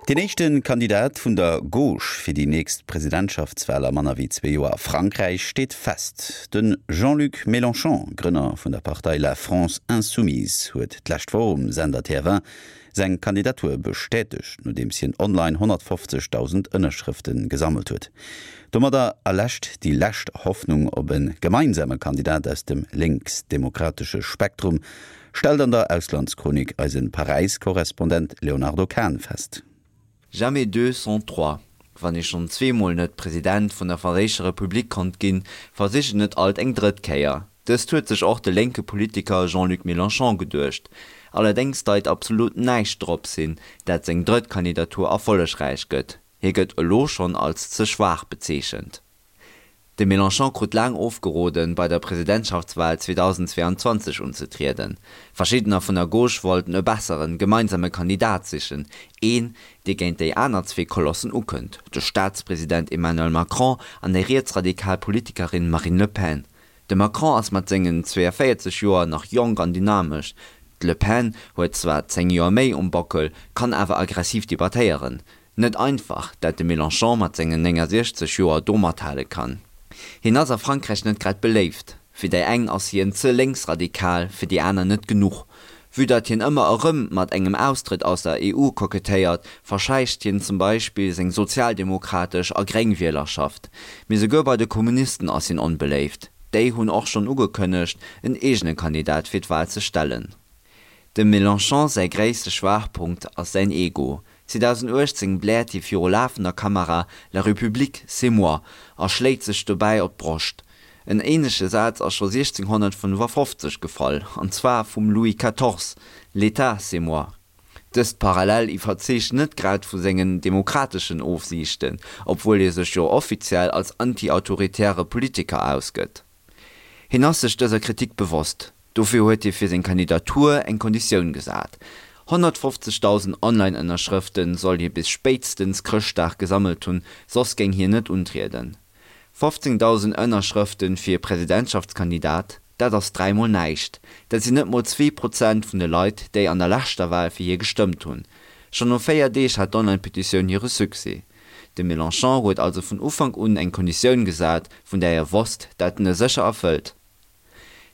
Deen éischte Kandidat vun der Gauche fir déi nächst Presidentschaftswal a manner wéi zwee Joer a Frankräich steet fest. De Jean-Luc Mélenchon, Grënner vun der Partei La France Insoumise, huet d'lescht Woch um Sender TF1 seng Kandidatur bestätegt, nodeems hien online 150.000 Ënnerschrëfte gesammelt huet. Domadder erläscht déi lescht Hoffnung op e gemeinsame Kandidat aus dem lénksdemokratesche Spektrum Stellt an der Auslandschronik eise Paräis-Korrespondent Léonardo Kahn fest. Jamais deux sans trois, Wann ee schonn zweemol net President vun der franséischer Republik konnt ginn, versicht een et alt eng drëtt Kéier. Dëst huet sech och de lénke Politiker Jean-Luc Mélenchon geduecht. Allerdéngs deit absolut näischt drops hin, dat seng drëtt Kandidatur erfollegräich gëtt. Hie gëtt elo schonn als ze schwaach bezeechent. De Mélenchon krut laang ofgeroden, bei der Presidentschaftswal 2022 unzetrieden. Verschiddener vun der Gauche wollten e besseren, gemeinsame Kandidat sichen, een, dee géint déi aner zwee Kolossen ukënnt, de Staatspresident Emmanuel Macron an déi rietsradikal Politikerin Marine Le Pen. De Macron ass mat sengen 42 Joer nach jonk an dynamesch, d'Le Pen huet zwar 10 Joer méi um Bockel, kann awer aggressiv debattéieren. Net einfach, dat de Mélenchon mat sengen 69 Joer do mathale kann. Hien ass a Frankräich net grad beléift. Fir déi eng ass hien ze lénksradikal, fir déi aner net genuch. Vue datt hien ëmmer erëm mat engem Austrëtt aus der EU kokettéiert, verschäicht hien zum Beispill seng sozialdemokratesch a gréng Wielerschaft. Mee souguer bei de Kommunisten ass hien onbeléift. Déi hunn och schonn ugekënnegt, en eegene Kandidat fir d'Wal ze stellen. Dem Mélenchon säi gréisste Schwaachpunkt ass säin Ego. 2018 bläert hie viru lafender Kamera La République, c'est moi a schléit sech dobäi op d'Broscht. En änleche Saz ass scho 1655 gefall, an zwar vum Louis quatorze, L'État, c'est moi. Dëst Parallel iwwerzeegt net grad vu sengen demokrateschen Ofsiichten, obwuel hie sech jo offiziell als anti-autoritäre Politiker ausgëtt. Hien ass sech dëser Kritik bewosst. Dofir huet hie fir seng Kandidatur eng Konditioun gesat, 150.000 Online-Ënnerschrëfte soll hie bis spéitstens Chrëschtdag gesammelt hunn, soss géing hien net untrieden. 15.000 Ënnerschrëfte fir e Presidentschaftskandidat, dat ass dräimol näischt. Dat sinn net mol 2% vun de Leit, déi an der leschter Wal fir hie gestëmmt hunn. Schonn no 4 Deeg hat d'Online-Petitioun hire Succès. De Mélenchon huet also vun Ufank un eng Konditioun gesat, vun där hie wosst, dat en e sécher erfëllt.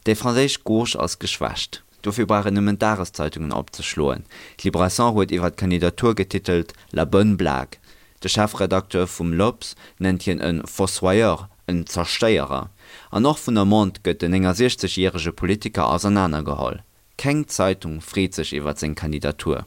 Déi franséisch Gauche ass geschwächt. Dofir brauch een nëmmen d'Dageszeitungen opzeschloen. D'Libération huet iwwer d'Kandidatur getitelt La bonne blague. De Chefredakteur vum L'Obs nennt hien e Fossoyeur, en Zerstéierer. An och vun der Monde gëtt den 69 järege Politiker ausernanergeholl. Keng Zeitung freet sech iwwer seng Kandidatur.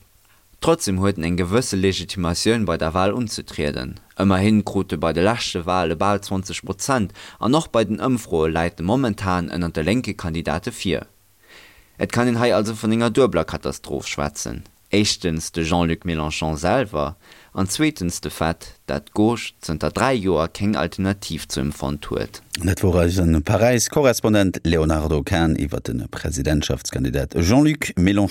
Trotzdem huet en eng gewësse Legitimatioun bei der Wal unzetrieden. Ëmmerhin krut e bei de leschte Wale bal 20 Prozent an och bei den Ëmfroe läit e momentan ënnert de lénke Kandidate vir. Et kann een hei also vun enger duebeler Katastroph schwätzen, éischtens de Jean-Luc Mélenchon selwer an zweetens de Fait, dat d'Gauche zënter 3 Joer keng Alternativ zu em fonnt huet. Dat wor eise Paräis-Korrespondent Léonardo Kahn iwwer de Presidentschaftskandidat Jean-Luc Mélenchon.